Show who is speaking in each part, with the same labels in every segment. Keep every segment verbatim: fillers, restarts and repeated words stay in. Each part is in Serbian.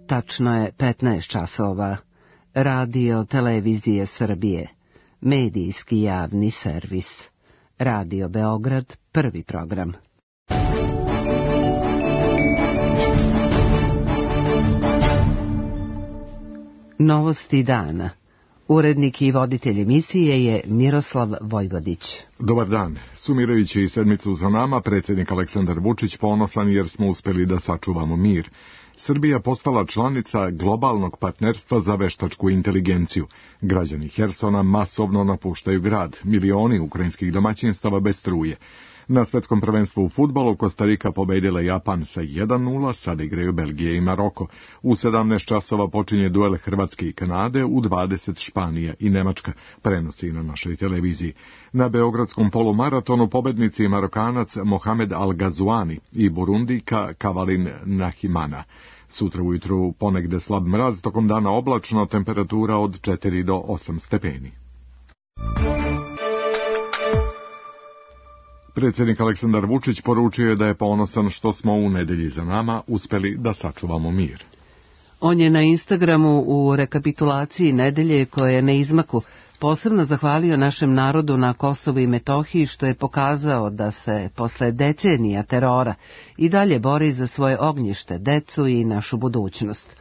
Speaker 1: Tačno je petnaest časova. Radio Televizije Srbije. Medijski javni servis. Radio Beograd, prvi program. Novosti dana. Urednik i voditelj emisije je Miroslav Vojvodić.
Speaker 2: Dobar dan. Sumirajući sedmicu za nama, predsjednik Aleksandar Vučić ponosan jer smo uspjeli da sačuvamo mir. Srbija postala članica globalnog partnerstva za veštačku inteligenciju. Građani Hersona masovno napuštaju grad, milioni ukrajinskih domaćinstava bez struje. Na svetskom prvenstvu u fudbalu Kostarika pobedila Japan sa jedan nula, sada igraju Belgija i Maroko. U sedamnaest časova počinje duel Hrvatske i Kanade, u dvadeset Španija i Nemačka, prenosi na našoj televiziji. Na beogradskom polumaratonu pobednici Marokanac Mohamed Al-Gazuani i Burundika Kavalin Nahimana. Sutra ujutru ponegde slab mraz, tokom dana oblačno, temperatura od četiri do osam stepeni. Predsjednik Aleksandar Vučić poručio je da je ponosan što smo u nedelji za nama uspjeli da sačuvamo mir.
Speaker 1: On je na Instagramu u rekapitulaciji nedelje koja je na izmaku posebno zahvalio našem narodu na Kosovu i Metohiji što je pokazao da se posle decenija terora i dalje bori za svoje ognjište, decu i našu budućnost.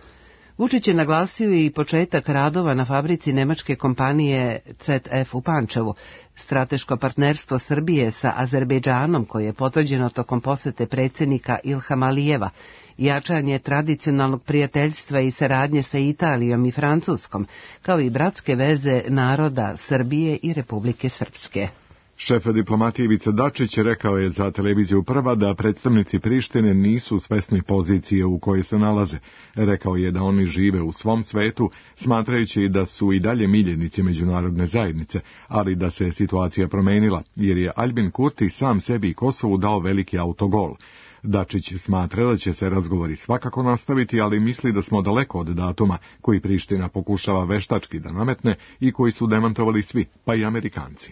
Speaker 1: Vučić je naglasio i početak radova na fabrici nemačke kompanije C E F u Pančevu, strateško partnerstvo Srbije sa Azerbejdžanom koje je potvrđeno tokom posete predsjednika Ilhama Alijeva, jačanje tradicionalnog prijateljstva i saradnje sa Italijom i Francuskom, kao i bratske veze naroda Srbije i Republike Srpske.
Speaker 2: Šef diplomatije Ivica Dačić rekao je za televiziju Prva da predstavnici Prištine nisu svesni pozicije u kojoj se nalaze. Rekao je da oni žive u svom svetu, smatrajući da su i dalje miljenici međunarodne zajednice, ali da se situacija promenila, jer je Albin Kurti sam sebi i Kosovu dao veliki autogol. Dačić smatra da će se razgovori svakako nastaviti, ali misli da smo daleko od datuma koji Priština pokušava veštački da nametne i koji su demantovali svi, pa i Amerikanci.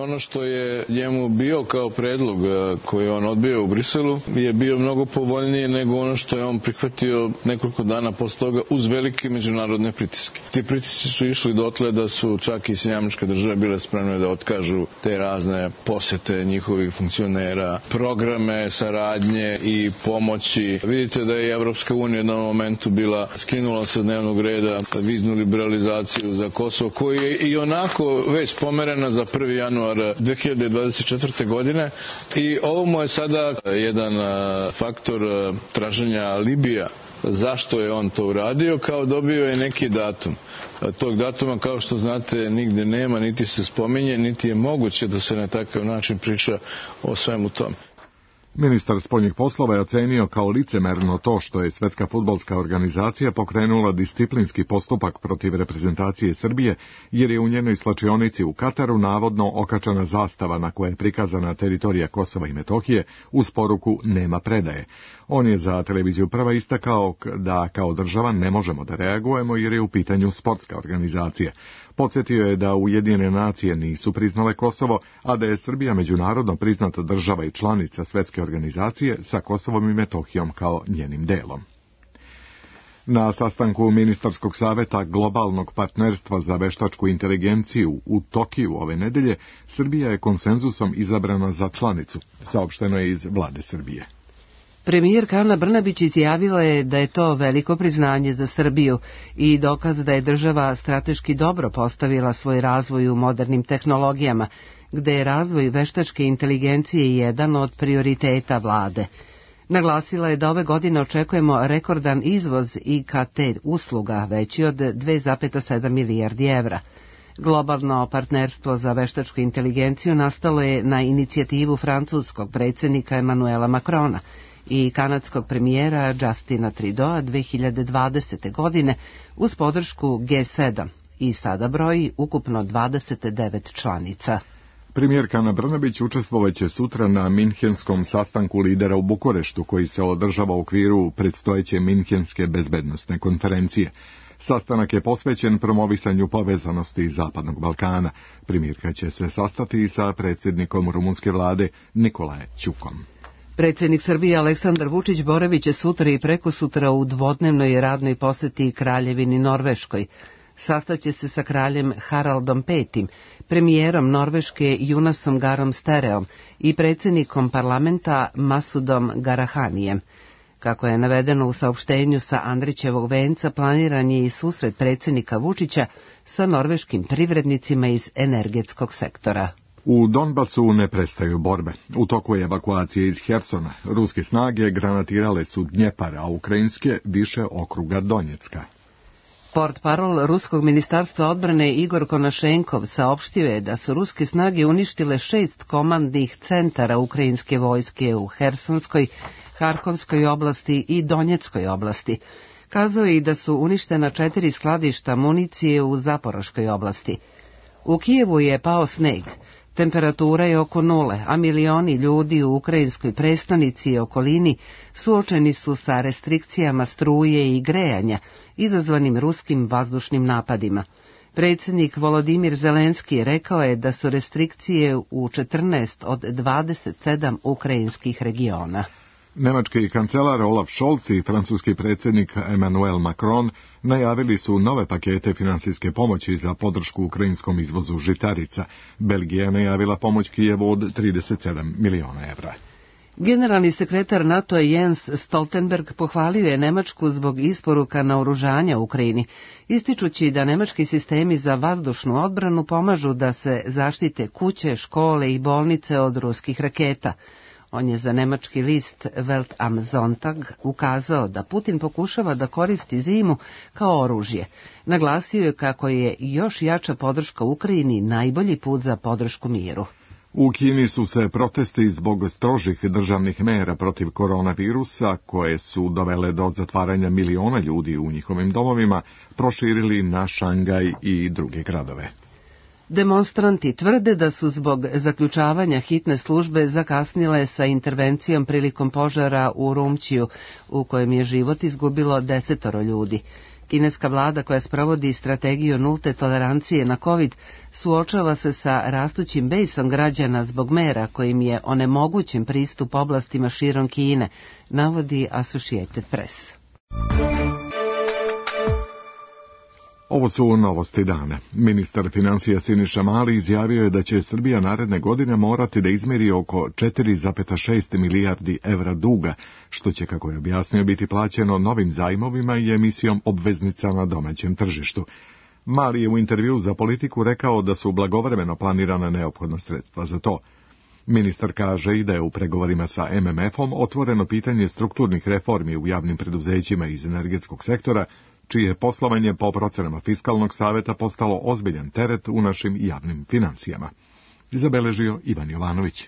Speaker 3: Ono što je njemu bio kao predlog koji je on odbio u Briselu je bio mnogo povoljnije nego ono što je on prihvatio nekoliko dana posle toga uz velike međunarodne pritiske. Ti pritisci su išli dotle da su čak i Sjedinjene Američke Države bile spremne da otkažu te razne posete njihovih funkcionera, programe saradnje i pomoći. Vidite da je Evropska unija u jednom momentu bila skinula sa dnevnog reda viznu liberalizaciju za Kosovo, koji je i onako već pomerena za prvi januar dve hiljade dvadeset četvrte. godine i ovo mu je sada jedan faktor traženja Libija. Zašto je on to uradio? Kao dobio je neki datum. Tog datuma, kao što znate, nigde nema, niti se spominje, niti je moguće da se na takav način priča o svemu tome.
Speaker 2: Ministar spoljnih poslova je ocenio kao licemerno to što je Svetska fudbalska organizacija pokrenula disciplinski postupak protiv reprezentacije Srbije, jer je u njenoj slačionici u Kataru navodno okačana zastava na kojoj je prikazana teritorija Kosova i Metohije uz poruku nema predaje. On je za televiziju Prva istakao da kao država ne možemo da reagujemo jer je u pitanju sportska organizacija. Podsjetio je da Ujedinjene nacije nisu priznale Kosovo, a da je Srbija međunarodno priznata država i članica Svetske organizacije sa Kosovom i Metohijom kao njenim delom. Na sastanku Ministarskog saveta globalnog partnerstva za veštačku inteligenciju u Tokiju ove nedelje, Srbija je konsenzusom izabrana za članicu, saopšteno je iz vlade Srbije.
Speaker 1: Premijerka Ana Brnabić izjavila je da je to veliko priznanje za Srbiju i dokaz da je država strateški dobro postavila svoj razvoj u modernim tehnologijama, gde je razvoj veštačke inteligencije jedan od prioriteta vlade. Naglasila je da ove godine očekujemo rekordan izvoz I K T usluga veći od dve zarez sedam milijardi evra. Globalno partnerstvo za veštačku inteligenciju nastalo je na inicijativu francuskog predsjednika Emanuela Macrona i kanadskog premijera Justina Trudeau dve hiljade dvadesete. godine uz podršku G sedam i sada broji ukupno dvadeset devet članica.
Speaker 2: Premijerka Ana Brnabić učestvovaće sutra na Minhenskom sastanku lidera u Bukureštu koji se održava u okviru predstojeće Minhenske bezbednosne konferencije. Sastanak je posvećen promovisanju povezanosti Zapadnog Balkana. Premijerka će se sastati sa predsjednikom rumunske vlade Nicolae Ćukom.
Speaker 1: Predsjednik Srbije Aleksandar Vučić boravit će sutra i prekosutra u dvodnevnoj radnoj poseti Kraljevini Norveškoj. Sastaće se sa kraljem Haraldom petim, premijerom Norveške Junasom Garom Stereom i predsjednikom parlamenta Masudom Garahanijem. Kako je navedeno u saopštenju sa Andrićevog venca, planiran je i susret predsjednika Vučića sa norveškim privrednicima iz energetskog sektora.
Speaker 2: U Donbasu ne prestaju borbe. U toku je evakuacije iz Hersona. Ruske snage granatirale su Dnjepar, a ukrajinske više okruga Donjecka.
Speaker 1: Portparol Ruskog ministarstva odbrane Igor Konašenkov saopštio je da su ruske snage uništile šest komandnih centara ukrajinske vojske u Hersonskoj, Harkovskoj oblasti i Donjeckoj oblasti. Kazao je i da su uništena četiri skladišta municije u Zaporoškoj oblasti. U Kijevu je pao sneg. Temperatura je oko nule, a milioni ljudi u ukrajinskoj prestonici i okolini suočeni su sa restrikcijama struje i grejanja, izazvanim ruskim vazdušnim napadima. Predsjednik Volodimir Zelenski rekao je da su restrikcije u četrnaest od dvadeset sedam ukrajinskih regiona.
Speaker 2: Nemački kancelar Olaf Scholz i francuski predsjednik Emmanuel Macron najavili su nove pakete financijske pomoći za podršku ukrajinskom izvozu žitarica. Belgija je najavila pomoć Kijevu od trideset sedam miliona evra.
Speaker 1: Generalni sekretar NATO-a Jens Stoltenberg pohvalio je Nemačku zbog isporuka naoružanja Ukrajini, ističući da nemački sistemi za vazdušnu odbranu pomažu da se zaštite kuće, škole i bolnice od ruskih raketa. On je za nemački list Welt am Sonntag ukazao da Putin pokušava da koristi zimu kao oružje. Naglasio je kako je još jača podrška Ukrajini najbolji put za podršku miru.
Speaker 2: U Kini su se protesti zbog strožih državnih mera protiv koronavirusa, koje su dovele do zatvaranja miliona ljudi u njihovim domovima, proširili na Šangaj i druge gradove.
Speaker 1: Demonstranti tvrde da su zbog zaključavanja hitne službe zakasnile sa intervencijom prilikom požara u Rumčiju, u kojem je život izgubilo desetoro ljudi. Kineska vlada, koja sprovodi strategiju nulte tolerancije na COVID, suočava se sa rastućim bejsom građana zbog mera kojim je onemogućen pristup oblastima širom Kine, navodi Associated Press.
Speaker 2: Ovo su novosti dana. Ministar financija Siniša Mali izjavio je da će Srbija naredne godine morati da izmeri oko četiri zarez šest milijardi evra duga, što će, kako je objasnio, biti plaćeno novim zajmovima i emisijom obveznica na domaćem tržištu. Mali je u intervju za Politiku rekao da su blagovremeno planirana neophodna sredstva za to. Ministar kaže i da je u pregovorima sa em em efom otvoreno pitanje strukturnih reformi u javnim preduzećima iz energetskog sektora, čije poslovanje po procenama Fiskalnog saveta postalo ozbiljan teret u našim javnim financijama. Zabeležio Ivan Jovanović.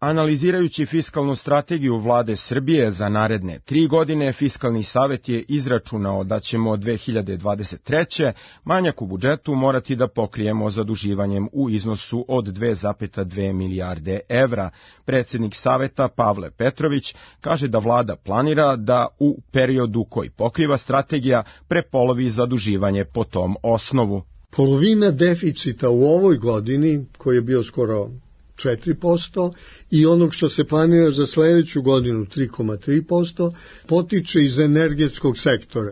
Speaker 4: Analizirajući fiskalnu strategiju vlade Srbije za naredne tri godine, Fiskalni savet je izračunao da ćemo od dve hiljade dvadeset treće manjak u budžetu morati da pokrijemo zaduživanjem u iznosu od dve zarez dve milijarde evra. Predsjednik saveta Pavle Petrović kaže da vlada planira da u periodu koji pokriva strategija prepolovi zaduživanje po tom osnovu.
Speaker 5: Polovina deficita u ovoj godini, koji je bio skoro četiri posto, i onog što se planira za sljedeću godinu tri zarez tri posto, potiče iz energetskog sektora.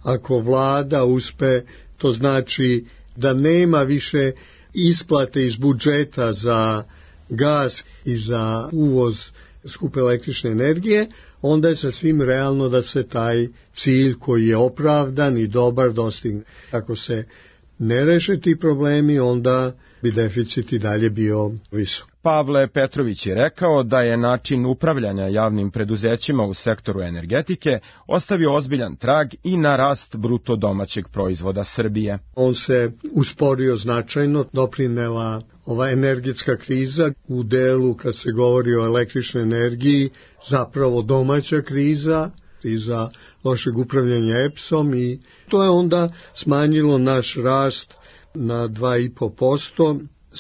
Speaker 5: Ako vlada uspe, to znači da nema više isplate iz budžeta za gas i za uvoz skupe električne energije, onda je sasvim realno da se taj cilj koji je opravdan i dobar dostigne. Ako se ne reše ti problemi, onda bi deficit i dalje bio visok.
Speaker 4: Pavle Petrović je rekao da je način upravljanja javnim preduzećima u sektoru energetike ostavio ozbiljan trag i na rast bruto domaćeg proizvoda Srbije.
Speaker 5: On se usporio značajno, doprinela ova energetska kriza u delu kad se govori o električnoj energiji, zapravo domaća kriza, kriza lošeg upravljanja E P S-om, i to je onda smanjilo naš rast na dva zarez pet posto,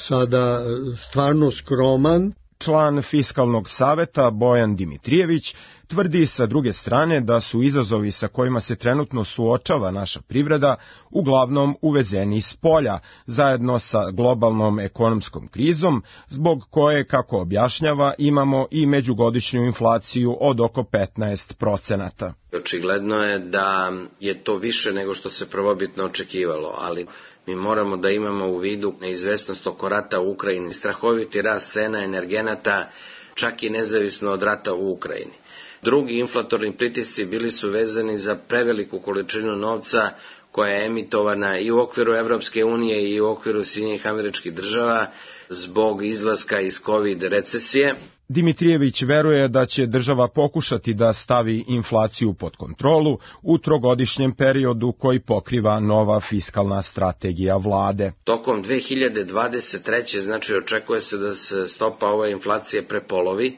Speaker 5: sada stvarno skroman.
Speaker 4: član Fiskalnog saveta Bojan Dimitrijević tvrdi sa druge strane da su izazovi sa kojima se trenutno suočava naša privreda uglavnom uvezeni iz polja, zajedno sa globalnom ekonomskom krizom, zbog koje, kako objašnjava, imamo i međugodišnju inflaciju od oko petnaest procenata.
Speaker 6: Očigledno je da je to više nego što se prvobitno očekivalo, ali mi moramo da imamo u vidu neizvesnost oko rata u Ukrajini, strahoviti rast cena energenata, čak i nezavisno od rata u Ukrajini. Drugi inflatorni pritisci bili su vezani za preveliku količinu novca koja je emitovana i u okviru Evropske unije i u okviru Sjedinjenih Američkih Država zbog izlaska iz COVID recesije.
Speaker 4: Dimitrijević veruje da će država pokušati da stavi inflaciju pod kontrolu u trogodišnjem periodu koji pokriva nova fiskalna strategija vlade.
Speaker 6: Tokom dve hiljade dvadeset treće. znači očekuje se da se stopa ove inflacije prepolovi,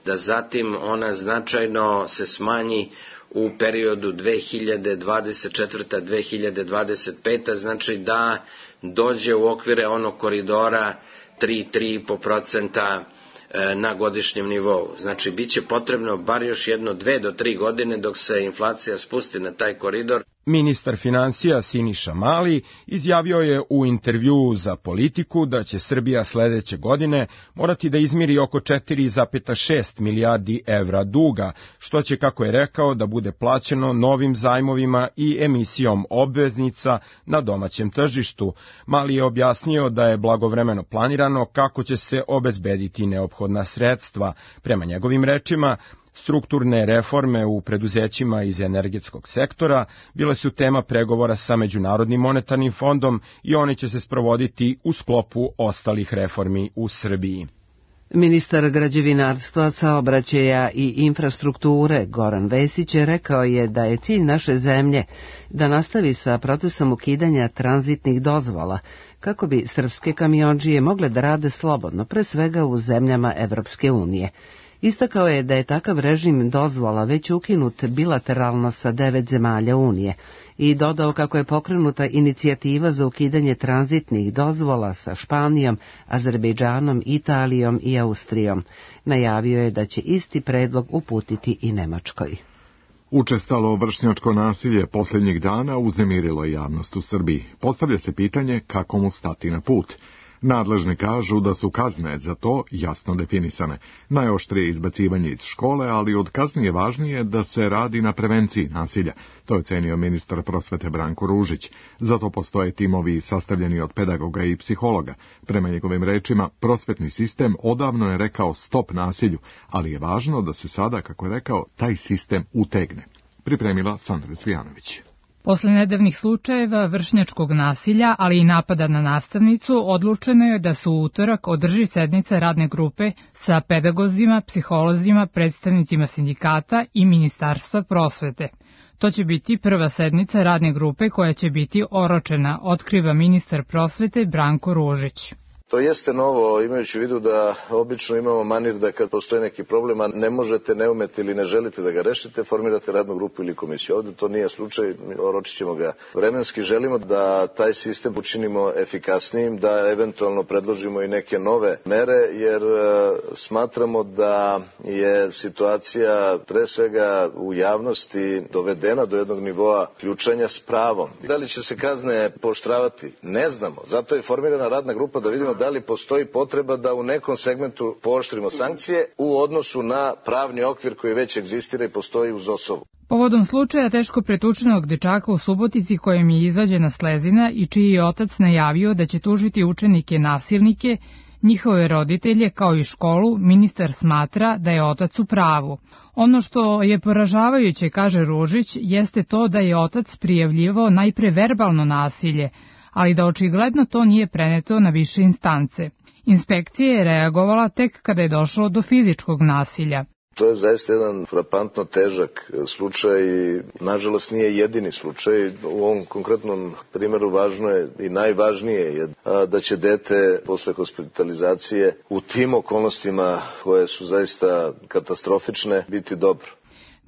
Speaker 6: da zatim ona značajno se smanji u periodu dve hiljade dvadeset četvrta do dve hiljade dvadeset peta. znači da dođe u okvire onog koridora tri do tri i po procenta na godišnjem nivou. Znači, bit će potrebno bar još jedno dve do tri godine dok se inflacija spusti na taj koridor.
Speaker 4: Ministar finansija Siniša Mali izjavio je u intervjuu za Politiku da će Srbija sledeće godine morati da izmiri oko četiri zarez šest milijardi evra duga, što će, kako je rekao, da bude plaćeno novim zajmovima i emisijom obveznica na domaćem tržištu. Mali je objasnio da je blagovremeno planirano kako će se obezbediti neophodna sredstva. Prema njegovim rečima, strukturne reforme u preduzećima iz energetskog sektora bile su tema pregovora sa Međunarodnim monetarnim fondom i oni će se sprovoditi u sklopu ostalih reformi u Srbiji.
Speaker 1: Ministar građevinarstva, saobraćaja i infrastrukture Goran Vesić rekao je da je cilj naše zemlje da nastavi sa procesom ukidanja tranzitnih dozvola kako bi srpske kamiondžije mogle da rade slobodno, pre svega u zemljama Evropske unije. Istakao je da je takav režim dozvola već ukinut bilateralno sa devet zemalja Unije i dodao kako je pokrenuta inicijativa za ukidanje tranzitnih dozvola sa Španijom, Azerbejdžanom, Italijom i Austrijom. Najavio je da će isti predlog uputiti i Nemačkoj.
Speaker 2: Učestalo vršnjačko nasilje posljednjih dana uznemirilo je javnost u Srbiji. Postavlja se pitanje kako mu stati na put. Nadležni kažu da su kazne za to jasno definisane. Najoštrije izbacivanje iz škole, ali od kazni je važnije da se radi na prevenciji nasilja. To je cenio ministar prosvete Branko Ružić. Zato postoje timovi sastavljeni od pedagoga i psihologa. Prema njegovim rečima, prosvetni sistem odavno je rekao stop nasilju, ali je važno da se sada, kako je rekao, taj sistem utegne. Pripremila Sandra Cvijanović.
Speaker 7: Posle nedavnih slučajeva vršnjačkog nasilja, ali i napada na nastavnicu, odlučeno je da se u utorak održi sednica radne grupe sa pedagozima, psiholozima, predstavnicima sindikata i Ministarstva prosvete. To će biti prva sednica radne grupe koja će biti oročena, otkriva ministar prosvete Branko Ružić.
Speaker 8: To jeste novo, imajući u vidu da obično imamo manir da kad postoji neki problem, a ne možete, ne umete ili ne želite da ga rešite, formirate radnu grupu ili komisiju. Ovde to nije slučaj, oročit ćemo ga vremenski. Želimo da taj sistem učinimo efikasnijim, da eventualno predložimo i neke nove mere, jer smatramo da je situacija pre svega u javnosti dovedena do jednog nivoa ključanja s pravom. Da li će se kazne pooštravati? Ne znamo. Zato je formirana radna grupa da vidimo da li postoji potreba da u nekom segmentu pooštrimo sankcije u odnosu na pravni okvir koji već egzistira i postoji uz osobu.
Speaker 7: Povodom slučaja teško pretučenog dečaka u Subotici kojem je izvađena slezina i čiji je otac najavio da će tužiti učenike nasilnike, njihove roditelje kao i školu, ministar smatra da je otac u pravu. Ono što je poražavajuće, kaže Ružić, jeste to da je otac prijavljivao najpre verbalno nasilje, ali da očigledno to nije preneto na više instance. Inspekcija je reagovala tek kada je došlo do fizičkog nasilja.
Speaker 8: To je zaista jedan frapantno težak slučaj i nažalost nije jedini slučaj. U ovom konkretnom primjeru važno je i najvažnije je da će dete posle hospitalizacije u tim okolnostima koje su zaista katastrofične biti dobro.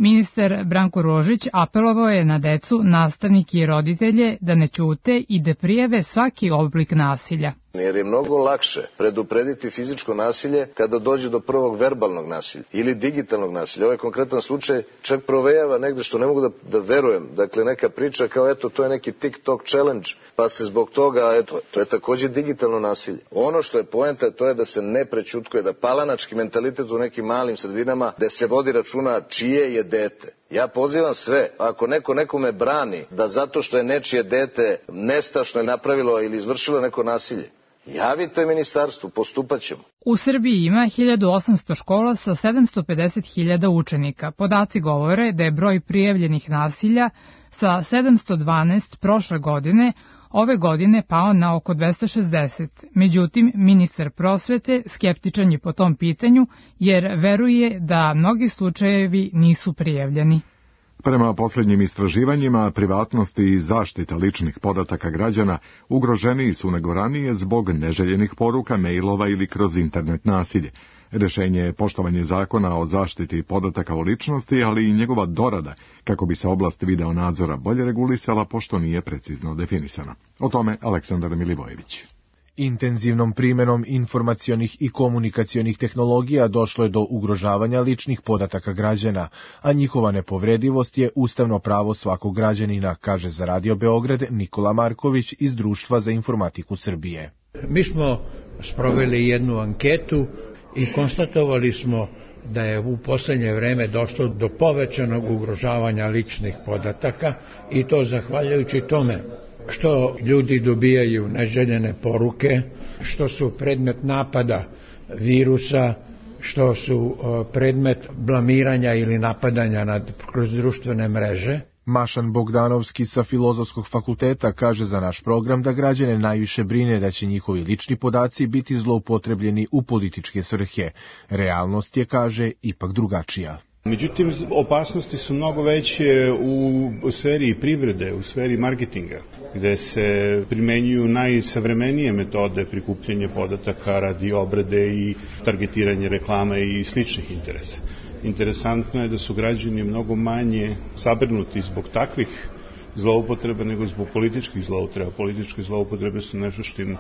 Speaker 7: Ministar Branko Ružić apelovao je na decu, nastavnike i roditelje da ne ćute i da prijave svaki oblik nasilja.
Speaker 8: Jer je mnogo lakše preduprediti fizičko nasilje kada dođe do prvog verbalnog nasilja ili digitalnog nasilja. Ovaj konkretan slučaj čak provejava negde što ne mogu da, da verujem. Dakle, neka priča kao eto, to je neki TikTok challenge, pa se zbog toga, eto, to je takođe digitalno nasilje. Ono što je poenta, to je da se ne prećutkuje, da palanački mentalitet u nekim malim sredinama, da se vodi računa čije je dete. Ja pozivam sve, ako neko nekome brani da zato što je nečije dete nestašno je napravilo ili izvršilo neko nasilje, javite ministarstvu, postupat ćemo.
Speaker 7: U Srbiji ima hiljadu osamsto škola sa sedamsto pedeset hiljada učenika. Podaci govore da je broj prijavljenih nasilja sa sedamsto dvanaest prošle godine ove godine pao na oko dvesta šezdeset. Međutim, ministar prosvete skeptičan je po tom pitanju jer veruje da mnogi slučajevi nisu prijavljeni.
Speaker 2: Prema posljednjim istraživanjima, privatnost i zaštita ličnih podataka građana ugroženiji su nego ranije zbog neželjenih poruka, mailova ili kroz internet nasilje. Rešenje je poštovanje zakona o zaštiti podataka o ličnosti, ali i njegova dorada, kako bi se oblast video nadzora bolje regulisala, pošto nije precizno definisana. O tome Aleksandar Milivojević.
Speaker 9: Intenzivnom primjenom informacionih i komunikacionih tehnologija došlo je do ugrožavanja ličnih podataka građana, a njihova nepovredivost je ustavno pravo svakog građanina, kaže za Radio Beograd Nikola Marković iz Društva za informatiku Srbije.
Speaker 10: Mi smo sproveli jednu anketu i konstatovali smo da je u poslednje vreme došlo do povećanog ugrožavanja ličnih podataka i to zahvaljujući tome što ljudi dobijaju neželjene poruke, što su predmet napada virusa, što su predmet blamiranja ili napadanja nad, kroz društvene mreže.
Speaker 9: Mašan Bogdanovski sa Filozofskog fakulteta kaže za naš program da građane najviše brine da će njihovi lični podaci biti zloupotrebljeni u političke svrhe. Realnost je, kaže, ipak drugačija.
Speaker 11: Međutim, opasnosti su mnogo veće u sferi privrede, u sferi marketinga, gde se primenjuju najsavremenije metode prikupljanja podataka radi obrade i targetiranja reklama i sličnih interesa. Interesantno je da su građani mnogo manje zabrinuti zbog takvih zloupotreba nego zbog političkih zloupotreba. Političke zloupotrebe su nešto što im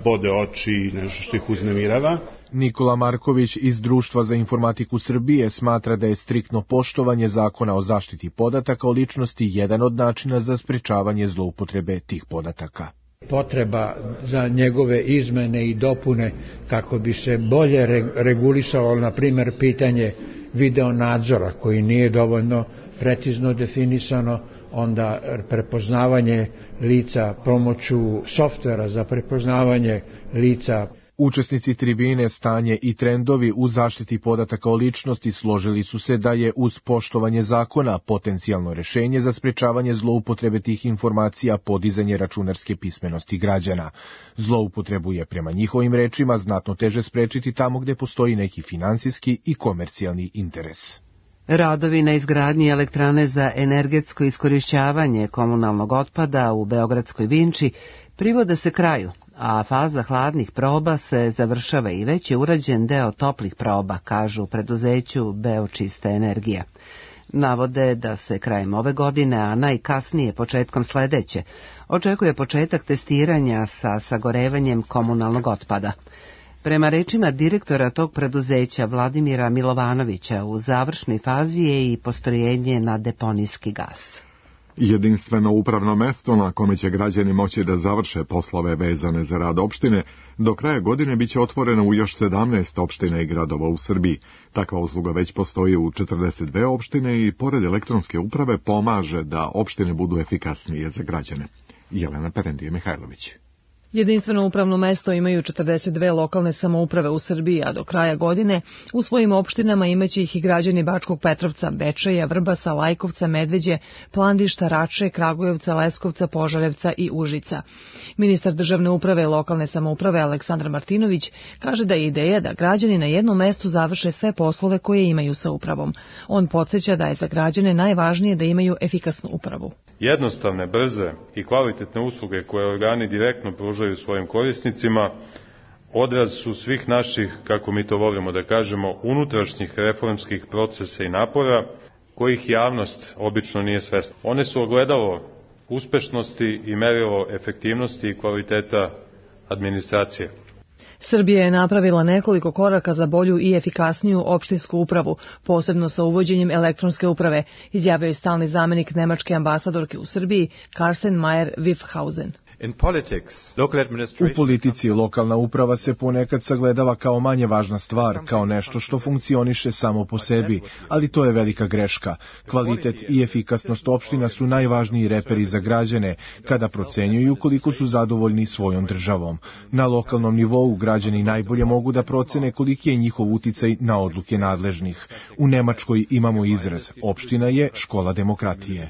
Speaker 11: bode oči, nešto što ih uznemirava.
Speaker 9: Nikola Marković iz Društva za informatiku Srbije smatra da je striktno poštovanje zakona o zaštiti podataka o ličnosti jedan od načina za sprečavanje zloupotrebe tih podataka.
Speaker 10: Potreba za njegove izmene i dopune kako bi se bolje regulisalo, na primjer, pitanje video nadzora koji nije dovoljno precizno definisano, onda prepoznavanje lica pomoću softvera za prepoznavanje lica.
Speaker 9: Učesnici tribine Stanje i trendovi u zaštiti podataka o ličnosti složili su se da je uz poštovanje zakona potencijalno rešenje za sprečavanje zloupotrebe tih informacija podizanje računarske pismenosti građana. Zloupotrebu je prema njihovim rečima znatno teže sprečiti tamo gde postoji neki finansijski i komercijalni interes.
Speaker 1: Radovi na izgradnji elektrane za energetsko iskorišćavanje komunalnog otpada u Beogradskoj Vinči privode se kraju, a faza hladnih proba se završava i već je urađen deo toplih proba, kažu u preduzeću Beočista energija. Navode da se krajem ove godine, a najkasnije početkom sledeće, očekuje početak testiranja sa sagorevanjem komunalnog otpada. Prema rečima direktora tog preduzeća Vladimira Milovanovića, u završnoj fazi je i postrojenje na deponijski gas.
Speaker 2: Jedinstveno upravno mesto na kome će građani moći da završe poslove vezane za rad opštine, do kraja godine biće otvoreno u još sedamnaest opština i gradova u Srbiji. Takva usluga već postoji u četrdeset dve opštine i pored elektronske uprave pomaže da opštine budu efikasnije za građane. Jelena Perendije Mihajlović.
Speaker 12: Jedinstveno upravno mesto imaju četrdeset dve lokalne samouprave u Srbiji, a do kraja godine u svojim opštinama imaće ih i građani Bačkog Petrovca, Bečeja, Vrbasa, Lajkovca, Medveđe, Plandišta, Rače, Kragujevca, Leskovca, Požarevca i Užica. Ministar državne uprave i lokalne samouprave Aleksandar Martinović kaže da je ideja da građani na jednom mestu završe sve poslove koje imaju sa upravom. On podsjeća da je za građane najvažnije da imaju efikasnu upravu.
Speaker 13: Jednostavne, brze i kvalitetne usluge koje organi direktno pružaju svojim korisnicima odraz su svih naših, kako mi to volimo da kažemo, unutrašnjih reformskih procesa i napora kojih javnost obično nije svesna. One su ogledalo uspešnosti i merilo efektivnosti i kvaliteta administracije.
Speaker 12: Srbija je napravila nekoliko koraka za bolju i efikasniju opštinsku upravu, posebno sa uvođenjem elektronske uprave, izjavio je stalni zamenik nemačke ambasadorke u Srbiji Carsten Meyer-Wiffhausen.
Speaker 9: U politici lokalna uprava se ponekad sagledava kao manje važna stvar, kao nešto što funkcioniše samo po sebi, ali to je velika greška. Kvalitet i efikasnost opština su najvažniji reperi za građane kada procenjuju koliko su zadovoljni svojom državom. Na lokalnom nivou građani najbolje mogu da procene koliki je njihov uticaj na odluke nadležnih. U Nemačkoj imamo izraz: opština je škola demokratije.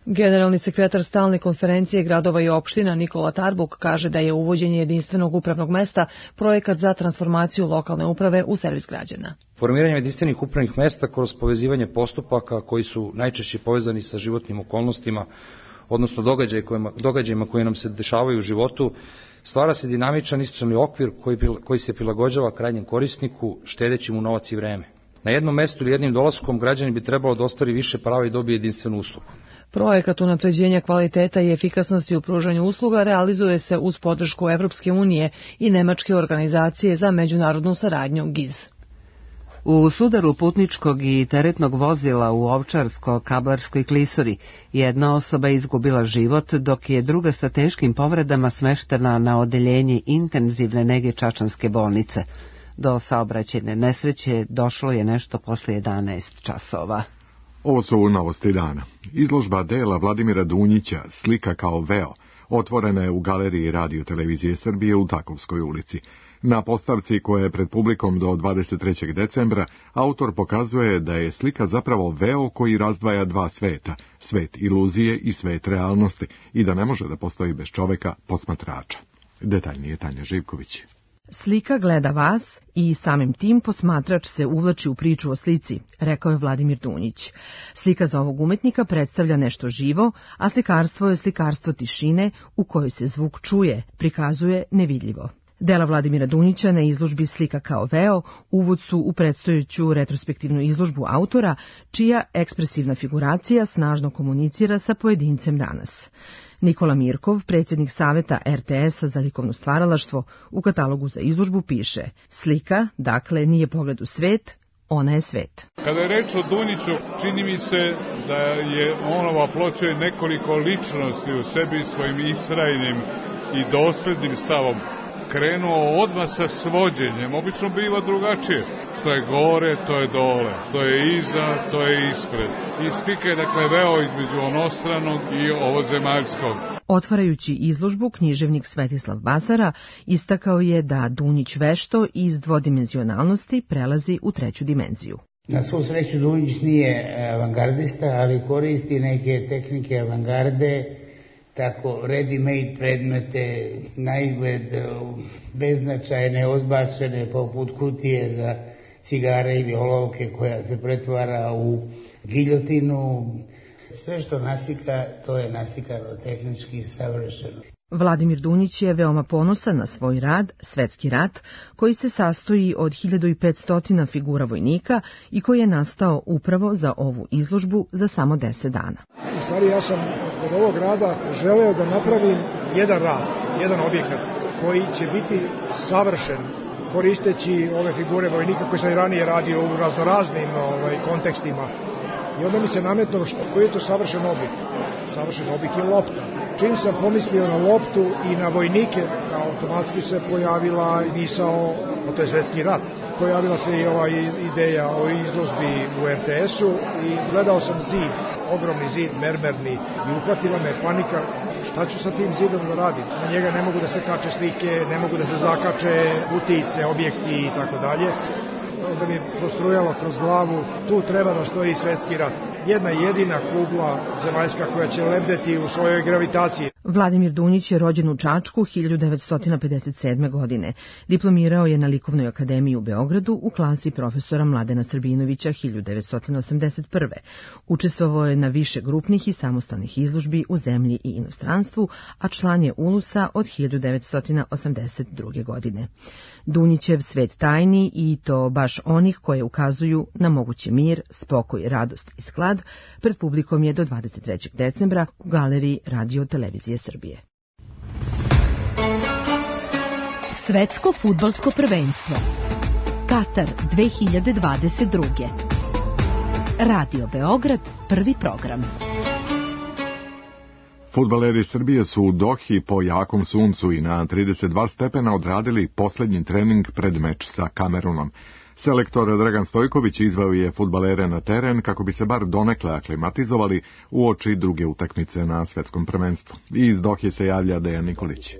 Speaker 12: Generalni sekretar stalne konferencije gradova i opština Nikola Tarbuk kaže da je uvođenje jedinstvenog upravnog mesta projekat za transformaciju lokalne uprave u servis građana.
Speaker 14: Formiranje jedinstvenih upravnih mesta kroz povezivanje postupaka koji su najčešće povezani sa životnim okolnostima, odnosno događaj kojima, događajima koji nam se dešavaju u životu, stvara se dinamičan institucionalni okvir koji, koji se prilagođava krajnjem korisniku, štedeći mu novac i vreme. Na jednom mestu ili jednim dolaskom građani bi trebalo da ostvari više prava i dobije jedinstvenu uslugu.
Speaker 12: Projekat unapređenja kvaliteta i efikasnosti u pružanju usluga realizuje se uz podršku Evropske unije i Nemačke organizacije za međunarodnu saradnju G I Z.
Speaker 1: U sudaru putničkog i teretnog vozila u Ovčarsko-Kablarskoj klisuri jedna osoba izgubila život, dok je druga sa teškim povredama smeštena na odeljenje intenzivne nege Čačanske bolnice. Do saobraćajne nesreće došlo je nešto posle jedanaest časova.
Speaker 2: Ovo su novosti dana. Izložba dela Vladimira Dunjića, Slika kao veo, otvorena je u galeriji Radio Televizije Srbije u Takovskoj ulici. Na postavci koja je pred publikom do dvadeset trećeg decembra, autor pokazuje da je slika zapravo veo koji razdvaja dva sveta, svet iluzije i svet realnosti, i da ne može da postoji bez čoveka posmatrača. Detaljnije Tanja Živković.
Speaker 15: Slika gleda vas i samim tim posmatrač se uvlači u priču o slici, rekao je Vladimir Dunjić. Slika za ovog umetnika predstavlja nešto živo, a slikarstvo je slikarstvo tišine u kojoj se zvuk čuje, prikazuje nevidljivo. Dela Vladimira Dunjića na izložbi Slika kao veo uvod su u predstojeću retrospektivnu izložbu autora, čija ekspresivna figuracija snažno komunicira sa pojedincem danas. Nikola Mirkov, predsjednik saveta R T S-a za likovno stvaralaštvo, u katalogu za izložbu piše: slika, dakle, nije pogled u svet, ona je svet.
Speaker 16: Kada je reč o Dunjiću, čini mi se da je onova ploča nekoliko ličnosti u sebi svojim istrajnim i doslednim stavom krenuo odmah sa svođenjem. Obično biva drugačije. Što je gore, to je dole. Što je iza, to je ispred. I slika je dakle veo između onostranog i ovozemaljskog.
Speaker 15: Otvarajući izložbu, književnik Svetislav Basara istakao je da Dunjić vešto iz dvodimenzionalnosti prelazi u treću dimenziju.
Speaker 17: Na svu sreću Dunjić nije avangardista, ali koristi neke tehnike avangarde, tako ready-made predmete, na izgled beznačajne, odbačene, poput kutije za cigare ili olovke koja se pretvara u giljotinu. Sve što nasika, to je nasikano tehnički savršeno.
Speaker 15: Vladimir Dunjić je veoma ponosan na svoj rad, Svetski rat, koji se sastoji od hiljadu petsto figura vojnika i koji je nastao upravo za ovu izložbu za samo deset dana.
Speaker 18: U stvari ja sam od ovog rada želeo da napravim jedan rad, jedan objekat koji će biti savršen koristeći ove figure vojnika koje sam i ranije radio u raznoraznim ovaj, kontekstima. I onda mi se nametno što, koji je to savršen objekt. Savršen objekt je lopta. Čim sam pomislio na loptu i na vojnike, automatski se pojavila misao, a to je Svetski rat, pojavila se i ova ideja o izložbi u R T S-u i gledao sam zid, ogromni zid, mermerni, i uhvatila me panika, šta ću sa tim zidom da radim? Na njega ne mogu da se kače slike, ne mogu da se zakače utice, objekti i tako dalje. Onda mi je prostrujalo kroz glavu, tu treba da stoji Svetski rat. Jedna jedina kugla zemaljska koja će lebdeti u svojoj gravitaciji.
Speaker 15: Vladimir Dunjić je rođen u Čačku hiljadu devetsto pedeset sedme. godine. Diplomirao je na Likovnoj akademiji u Beogradu u klasi profesora Mladena Srbinovića hiljadu devetsto osamdeset prve. Učestvovao je na više grupnih i samostalnih izložbi u zemlji i inostranstvu, a član je Ulusa od hiljadu devetsto osamdeset druge. godine. Dunjićev svet tajni, i to baš onih koje ukazuju na mogući mir, spokoj, radost i sklad, pred publikom je do dvadeset trećeg decembra u galeriji Radio Televizije Srbije. Svetsko fudbalsko prvenstvo Katar dve hiljade dvadeset druge. Radio Beograd, prvi program.
Speaker 2: Fudbaleri Srbije su u Dohi po jakom suncu i na trideset dva stepena odradili poslednji trening pred meč sa Kamerunom. Selektor Dragan Stojković izveo je fudbalere na teren kako bi se bar donekle aklimatizovali uoči druge utakmice na svetskom prvenstvu. I iz Dohe se javlja Dejan Nikolić.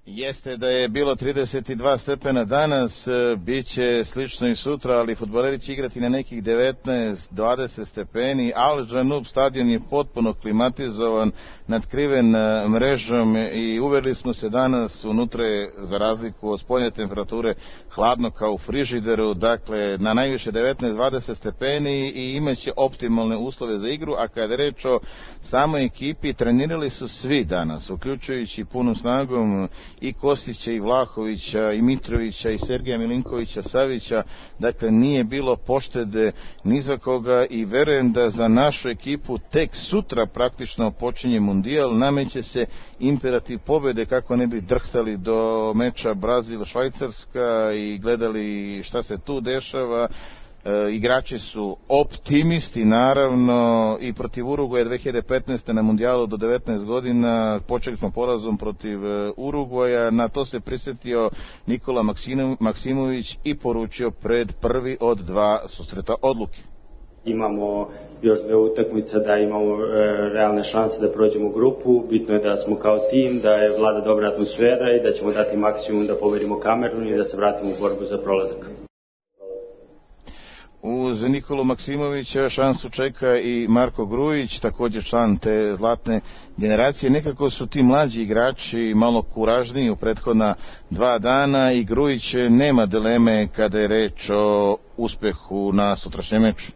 Speaker 19: Jeste da je bilo trideset dva stepena danas, bit će slično i sutra, ali fudbaleri će igrati na nekih devetnaest dvadeset stepeni. Al Džanub stadion je potpuno klimatizovan, nadkriven mrežom i uverili smo se danas, unutra je za razliku od spoljne temperature hladno kao u frižideru, dakle na najviše devetnaest dvadeset stepeni i imaće optimalne uslove za igru, a kada je reč o samoj ekipi, trenirali su svi danas, uključujući punom snagom i Kostića, i Vlahovića, i Mitrovića, i Sergeja Milinkovića Savića, dakle nije bilo poštede ni za koga i verujem da za našu ekipu tek sutra praktično počinje mundijal, nameće se imperativ pobede kako ne bi drhtali do meča Brazil-Švajcarska i gledali šta se tu dešava. E, igrači su optimisti naravno i protiv Urugvaja dve hiljade petnaeste. na mundijalu do devetnaest godina počeli smo porazom protiv Urugvaja, na to se prisjetio Nikola Maksimović i poručio pred prvi od dva susreta odluke.
Speaker 20: Imamo još dve utakmice da imamo e, realne šanse da prođemo u grupu, bitno je da smo kao tim, da je vlada dobra atmosfera i da ćemo dati maksimum da pobedimo Kamerun i da se vratimo u borbu za prolazak.
Speaker 19: Uz Nikolu Maksimovića šansu čeka i Marko Grujić, također član te zlatne generacije. Nekako su ti mlađi igrači malo kuražniji u prethodna dva dana i Grujić nema dileme kada je reč o uspehu na sutrašnjem meču.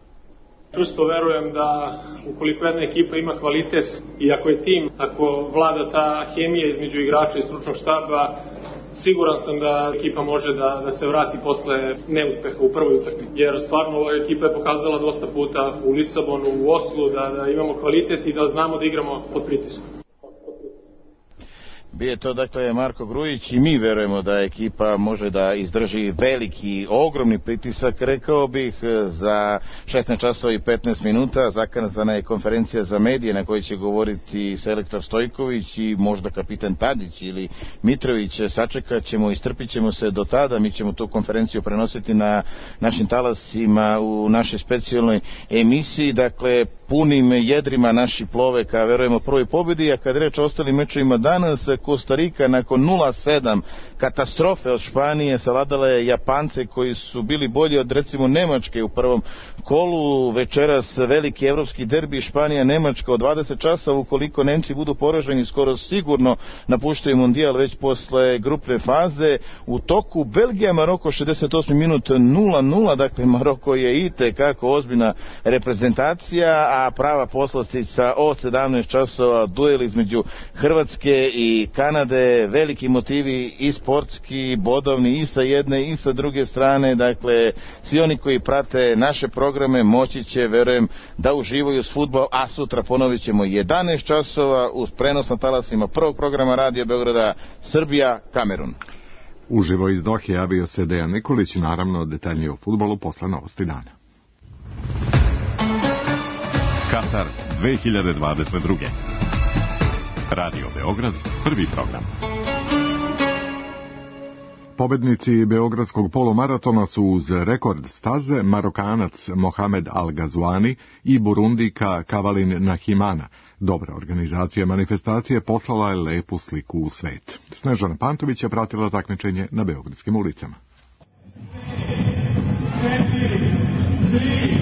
Speaker 21: Čusto verujem da ukoliko jedna ekipa ima kvalitet i ako je tim, ako vlada ta hemija između igrača i stručnog štaba, siguran sam da ekipa može da, da se vrati posle neuspeha u prvoj utakmici. Jer stvarno ova ekipa je pokazala dosta puta u Lisabonu, u Oslu, da, da imamo kvalitet i da znamo da igramo pod pritiskom.
Speaker 19: Bio to dakle Marko Grujić i mi verujemo da ekipa može da izdrži veliki, ogromni pritisak, rekao bih, za šesnaest časova i petnaest minuta. Zakazana je konferencija za medije na kojoj će govoriti selektor Stojković i možda kapitan Tadić ili Mitrović. Sačekat ćemo, istrpit ćemo se do tada, mi ćemo tu konferenciju prenositi na našim talasima u našoj specijalnoj emisiji, dakle punim jedrima naši plove ka verujemo prvoj pobedi, a kad reč o ostalim mečevima danas, Kostarika nakon nula sedam katastrofe od Španije savladala je Japance koji su bili bolji od recimo Nemačke u prvom kolu. Večeras veliki evropski derbi Španija-Nemačka od dvadeset časova, ukoliko Nemci budu poraženi skoro sigurno napuštaju mundijal već posle grupne faze. U toku Belgija-Maroko šezdeset osmi minut nula nula, dakle Maroko je i te kako ozbiljna reprezentacija, a prava poslastica od sedamnaest časova duel između Hrvatske i Kanade, veliki motivi i sportski, bodovni i sa jedne i sa druge strane, dakle svi oni koji prate naše programe moći će, verujem, da uživaju s fudbal, a sutra ponovit ćemo jedanaest časova uz prenos na talasima prvog programa Radio Beograda Srbija, Kamerun.
Speaker 2: Uživo iz Dohe javio se Dejan Nikolić, naravno detaljnije o fudbalu posle novosti dana.
Speaker 22: Katar dve hiljade dvadeset druge. Radio Beograd, prvi program.
Speaker 2: Pobednici Beogradskog polumaratona su uz rekord staze Marokanac Mohamed Al-Gazouani i Burundika Kavalin Nahimana. Dobra organizacija manifestacije poslala je lepu sliku u svet. Snežana Pantović je pratila takmičenje na beogradskim ulicama.
Speaker 23: četiri, tri,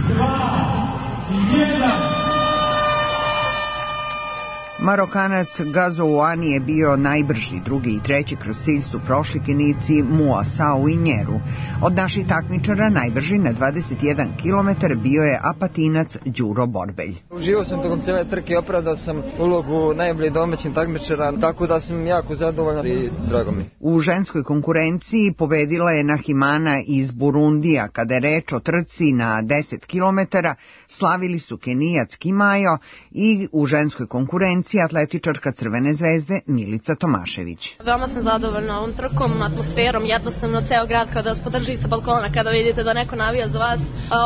Speaker 23: dva, jedan.
Speaker 24: Marokanac Gazouani je bio najbrži, drugi i treći kroz cilj su prošli Kenijci Mua Sao i Njeru. Od naših takmičara najbrži na dvadeset jedan kilometara bio je Apatinac Đuro Borbelj.
Speaker 25: Uživao sam tokom cijele trke, opravdao sam ulogu najbolje domaćih takmičara, tako da sam jako zadovoljan i drago mi.
Speaker 24: U ženskoj konkurenciji pobedila je Nahimana iz Burundija. Kada je reč o trci na deset kilometara, slavili su Kenijac Kimajo i u ženskoj konkurenciji trci atletičarka Crvene zvezde Milica Tomašević.
Speaker 3: Veoma sam zadovoljna ovom trkom, atmosferom, jednostavno ceo grad kada vas podrži sa balkona, kada vidite da neko navija za vas.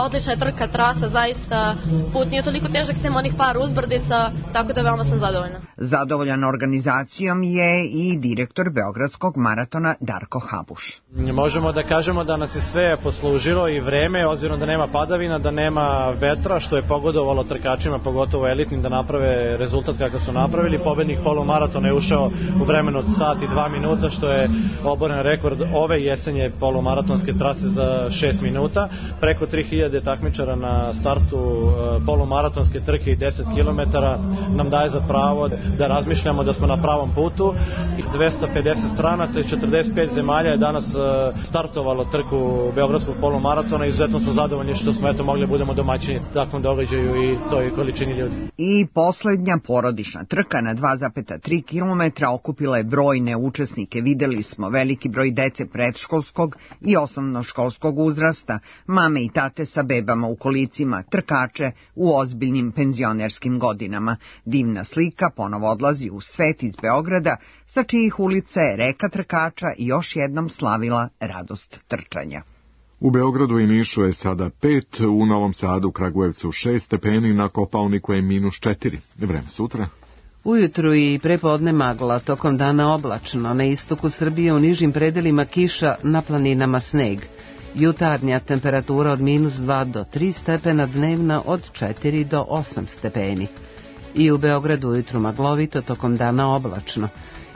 Speaker 3: Odlična je trka, trasa, zaista put nije toliko težak, sem onih par uzbrdica, tako da veoma sam zadovoljna.
Speaker 24: Zadovoljan organizacijom je i direktor Beogradskog maratona Darko Habuš.
Speaker 4: Možemo da kažemo da nas je sve poslužilo i vreme, obzirom da nema padavina, da nema vetra, što je pogodovalo trkačima, pogotovo elitnim, da naprave rezultat kakav su napravili. Pobednik polumaratona je ušao u vremenu od sat i dva minuta, što je oboren rekord ove jesenje polumaratonske trase za šest minuta. Preko tri hiljade takmičara na startu polumaratonske trke i deset kilometara nam daje za pravo da razmišljamo da smo na pravom putu. dvesta pedeset stranaca i četrdeset pet zemalja je danas startovalo trku Beogradskog polumaratona i izuzetno smo zadovoljni što smo eto mogli budemo domaćini takvom događaju i toj količini ljudi.
Speaker 24: I poslednja porodična trka na dva zarez tri kilometra okupila je brojne učesnike. Videli smo veliki broj dece predškolskog i osnovnoškolskog uzrasta, mame i tate sa bebama u kolicima, trkače u ozbiljnim penzionerskim godinama. Divna slika ponovo odlazi u svet iz Beograda, sa čijih ulica je reka trkača i još jednom slavila radost trčanja.
Speaker 2: U Beogradu i Nišu je sada pet, u Novom Sadu, Kragujevcu šest stepeni, na Kopaoniku je minus četiri. Vreme sutra.
Speaker 1: Ujutru i prepodne magla, tokom dana oblačno, na istoku Srbije u nižim predelima kiša, na planinama sneg. Jutarnja temperatura od minus dva do tri stepena, dnevna od četiri do osam stepeni. I u Beogradu ujutru maglovito, tokom dana oblačno.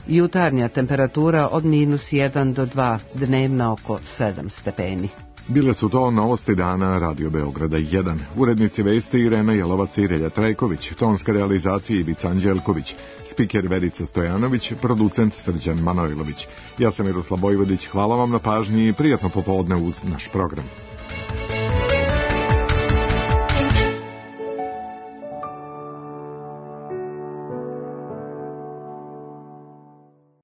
Speaker 1: Jutarnja temperatura od minus jedan do dva, dnevna oko sedam stepeni.
Speaker 2: Bile su to novosti dana Radio Beograda jedan. Urednici vesti Irena Jelovac i Relja Trajković, tonska realizacija Ivica Anđelković, spiker Verica Stojanović, producent Srđan Manojlović. Ja sam Miroslav Bojvodić, hvala vam na pažnji i prijatno popodne uz naš program.